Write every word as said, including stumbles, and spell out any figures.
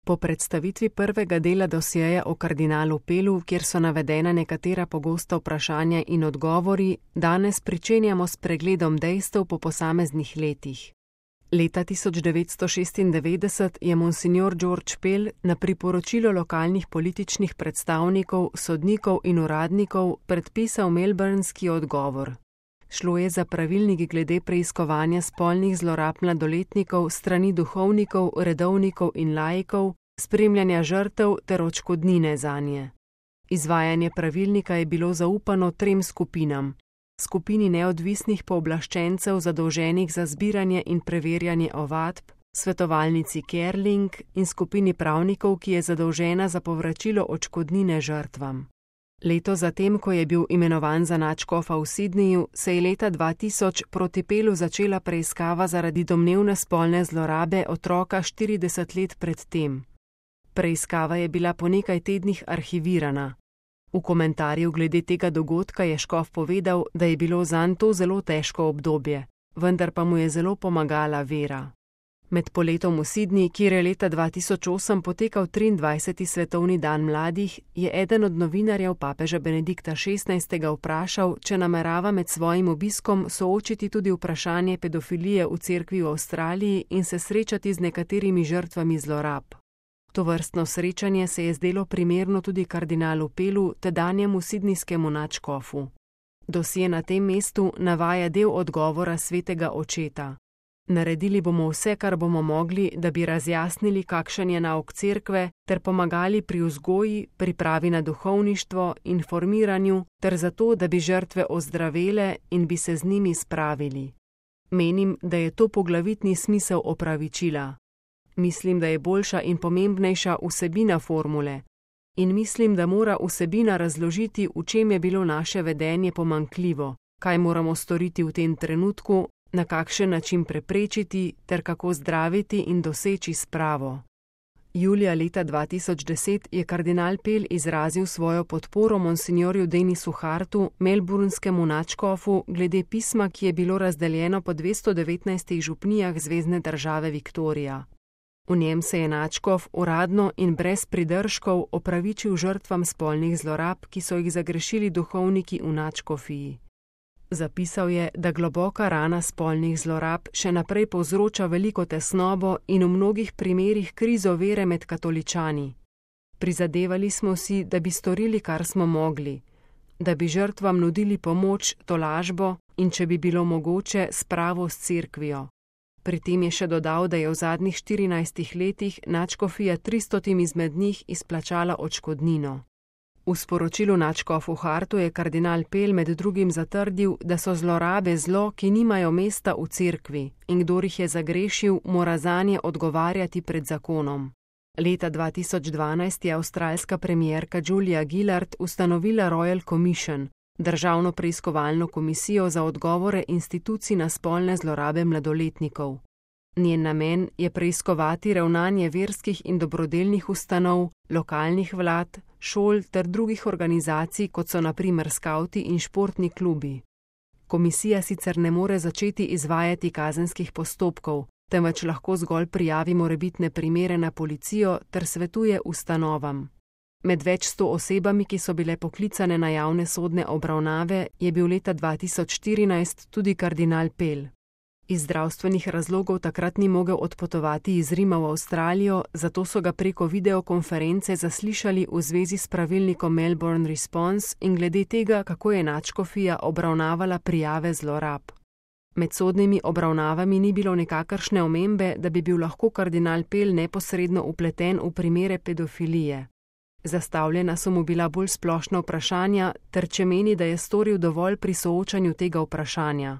Po predstavitvi prvega dela dosjeja o kardinalu Pelu, kjer so navedena nekatera pogosta vprašanja in odgovori, danes pričenjamo s pregledom dejstev po posameznih letih. Leta tisoč devetsto šestindevetdeset je monsignor George Pell na priporočilo lokalnih političnih predstavnikov, sodnikov in uradnikov predpisal melbournski odgovor. Šlo je za pravilnik glede preiskovanja spolnih zlorab mladoletnikov strani duhovnikov, redovnikov in laikov, spremljanja žrtev ter odškodnine zanje. Izvajanje pravilnika je bilo zaupano trem skupinam: skupini neodvisnih pooblaščencev zadolženih za zbiranje in preverjanje ovadb, svetovalnici Kerling in skupini pravnikov, ki je zadolžena za povračilo odškodnine žrtvam. Leto zatem, ko je bil imenovan za nadškofa v Sydneyju, se je leta dva tisoč proti Pelu začela preiskava zaradi domnevne spolne zlorabe otroka štirideset let pred tem. Preiskava je bila po nekaj tednih arhivirana. V komentarju glede tega dogodka je škof povedal, da je bilo zanj to zelo težko obdobje, vendar pa mu je zelo pomagala vera. Med poletom v Sydney, kjer je leta dva tisoč osem potekal triindvajseti svetovni dan mladih, je eden od novinarjev papeža Benedikta šestnajstega vprašal, če namerava med svojim obiskom soočiti tudi vprašanje pedofilije v cerkvi v Avstraliji in se srečati z nekaterimi žrtvami zlorab. Tovrstno srečanje se je zdelo primerno tudi kardinalu Pelu, tedanjemu sidnijskemu nadškofu. Dosje na tem mestu navaja del odgovora svetega očeta. Naredili bomo vse, kar bomo mogli, da bi razjasnili, kakšen je nauk cerkve, ter pomagali pri vzgoji, pripravi na duhovništvo, informiranju, ter zato, da bi žrtve ozdravele in bi se z njimi spravili. Menim, da je to poglavitni smisel opravičila. Mislim, da je boljša in pomembnejša vsebina formule. In mislim, da mora vsebina razložiti, v čem je bilo naše vedenje pomanjkljivo, kaj moramo storiti v tem trenutku, na kakšen način preprečiti ter kako zdraviti in doseči spravo. Julija leta dva tisoč deset je kardinal Pell izrazil svojo podporo monsignorju Denisu Hartu, melbournskemu nadškofu, glede pisma, ki je bilo razdeljeno po dvesto devetnajstih župnijah zvezne države Viktorija. V njem se je nadškof uradno in brez pridržkov opravičil žrtvam spolnih zlorab, ki so jih zagrešili duhovniki v nadškofiji. Zapisal je, da globoka rana spolnih zlorab še naprej povzroča veliko tesnobo in v mnogih primerih krizo vere med katoličani. Prizadevali smo si, da bi storili, kar smo mogli, da bi žrtvam nudili pomoč, tolažbo in, če bi bilo mogoče, spravo s cerkvijo. Pri tem je še dodal, da je v zadnjih štirinajstih letih nadškofija tristotim izmed njih izplačala odškodnino. V sporočilu nadškofu Hartu je kardinal Pell med drugim zatrdil, da so zlorabe zlo, ki nimajo mesta v cerkvi, in kdor jih je zagrešil, mora zanje odgovarjati pred zakonom. Leta dva tisoč dvanajst je avstralska premierka Julia Gillard ustanovila Royal Commission, državno preiskovalno komisijo za odgovore institucij na spolne zlorabe mladoletnikov. Njen namen je preiskovati ravnanje verskih in dobrodelnih ustanov, lokalnih vlad, šol ter drugih organizacij, kot so na primer skavti in športni klubi. Komisija sicer ne more začeti izvajati kazenskih postopkov, temveč lahko zgolj prijavi morebitne primere na policijo ter svetuje ustanovam. Med več sto osebami, ki so bile poklicane na javne sodne obravnave, je bil leta dva tisoč štirinajst tudi kardinal Pell. Iz zdravstvenih razlogov takrat ni mogel odpotovati iz Rima v Avstralijo, zato so ga preko videokonference zaslišali v zvezi s pravilnikom Melbourne Response in glede tega, kako je nadškofija obravnavala prijave zlorab. Med sodnimi obravnavami ni bilo nikakršne omembe, da bi bil lahko kardinal Pell neposredno vpleten v primere pedofilije. Zastavljena so mu bila bolj splošna vprašanja, ter če meni, da je storil dovolj pri soočanju tega vprašanja.